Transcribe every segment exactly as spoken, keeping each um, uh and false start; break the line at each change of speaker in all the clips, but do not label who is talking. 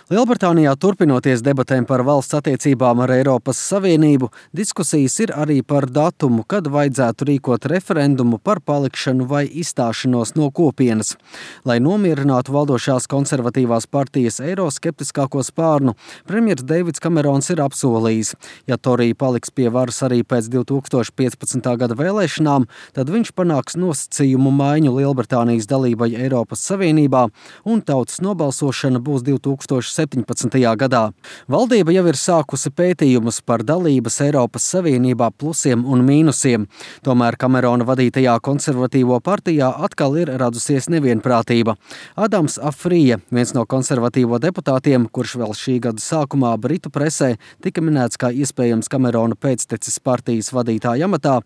Lielbritānijā turpinoties debatēm par valsts attiecībām ar Eiropas Savienību, diskusijas ir arī par datumu, kad vajadzētu rīkot referendumu par palikšanu vai izstāšanos no kopienas. Lai nomierinātu valdošās konservatīvās partijas eiroskeptiskāko spārnu, premjers Deivids Kamerons ir apsolījis, ja Torija paliks pie varas arī pēc divi tūkstoši piecpadsmitā gada vēlēšanām, tad viņš panāks nosacījumu maiņu Lielbritānijas dalībai Eiropas Savienībā un tautas nobalsošana būs divi tūkstoši septiņpadsmitajā gadā. Valdība jau ir sākusi pētījumus par dalības Eiropas Savienībā plusiem un mīnusiem. Tomēr Kamerona vadītajā konservatīvo partijā atkal ir radusies nevienprātība. Adams Afrija, viens no konservatīvo deputātiem, kurš vēl šī gada sākumā Britu presē tika minēts kā iespējams Kamerona pēctecis partijas vadītāja amatā,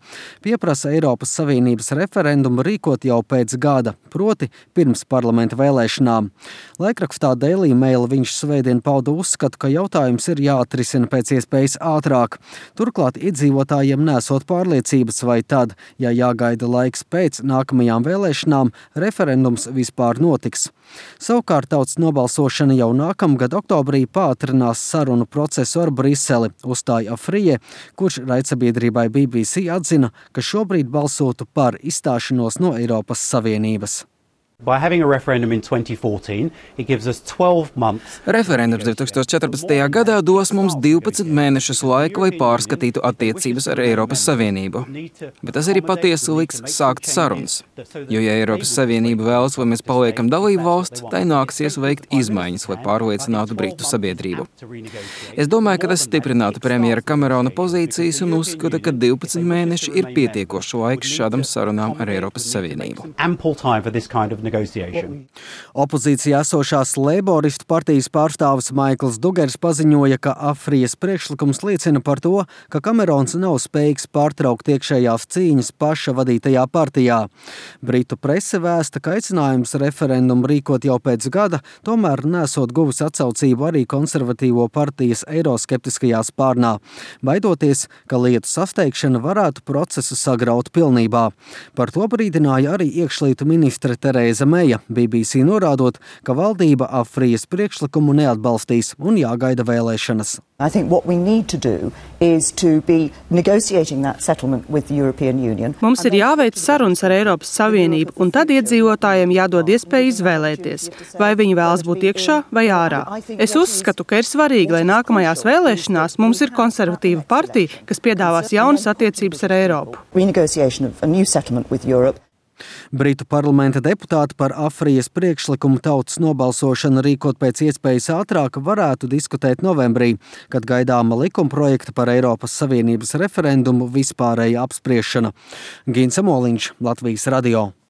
pieprasa Eiropas Savienības referendumu rīkot jau pēc gada, proti pirms parlamenta vēlēšanām. Laikrakstā Daily Mail viņš svētdien pauda uzskatu, ka jautājums ir jāatrisina pēc iespējas ātrāk. Turklāt iedzīvotājiem nesot pārliecības, vai tad, ja jāgaida laiks pēc nākamajām vēlēšanām, referendums vispār notiks. Savukārt tautas nobalsošana jau nākamgad oktobrī pātrinās sarunu procesu ar Briseli, uzstāja Afrije, kurš raidsabiedrībai B B C atzina, ka šobrīd balsotu par izstāšanos no Eiropas Savienības.
By having a referendum in twenty fourteen, it gives us twelve months.
Referendums divi tūkstoši četrpadsmitajā gadā dos mums divpadsmit mēnešus laika, lai pārskatītu attiecības ar Eiropas Savienību. Bet tas arī patiesi liks sākt sarunas. Jo, ja Eiropas Savienība vēlas, lai mēs paliekam dalību valsts, tai nāksies veikt izmaiņas, lai pārliecinātu Britu sabiedrību. Es domāju, ka tas stiprinātu premjera Kamerona pozīcijas un uzskata, ka divpadsmit mēneši ir pietiekošs laiks šādam sarunām ar Eiropas Savienību.
Opozīcijā esošās Leiboristu partijas pārstāvis Maikls Dugers paziņoja, ka Afrijas priekšlikums liecina par to, ka Kamerons nav spējīgs pārtraukt iekšējās cīņas paša vadītajā partijā. Britu prese vēsta, ka aicinājums referendumu rīkot jau pēc gada, tomēr nesot guvis atsaucību arī konservatīvo partijas eiroskeptiskajā spārnā, baidoties, ka lietu sasteigšana varētu procesu sagraut pilnībā. Par to brīdināja arī iekšlietu ministre Terēza Meja, B B C norādot, ka valdība Afrijas priekšlikumu neatbalstīs un jāgaida vēlēšanas.
I think what we need to do is to be negotiating that settlement with the European Union.
Mums ir jāveic sarunas ar Eiropas Savienību, un tad iedzīvotājiem jādod iespēja izvēlēties, vai viņi vēlas būt iekšā vai ārā. Es uzskatu, ka ir svarīgi, lai nākamajās vēlēšanās mums ir konservatīva partija, kas piedāvās jaunas attiecības ar Eiropu.
Renegotiation of a new settlement with Europe.
Britu parlamenta deputāti par Afrijas priekšlikumu tautas nobalsošanu rīkot pēc iespējas ātrāk varētu diskutēt novembrī, kad gaidāma likumprojekta par Eiropas Savienības referendumu vispārēja apspriešana. Gins Amoliņš, Latvijas radio.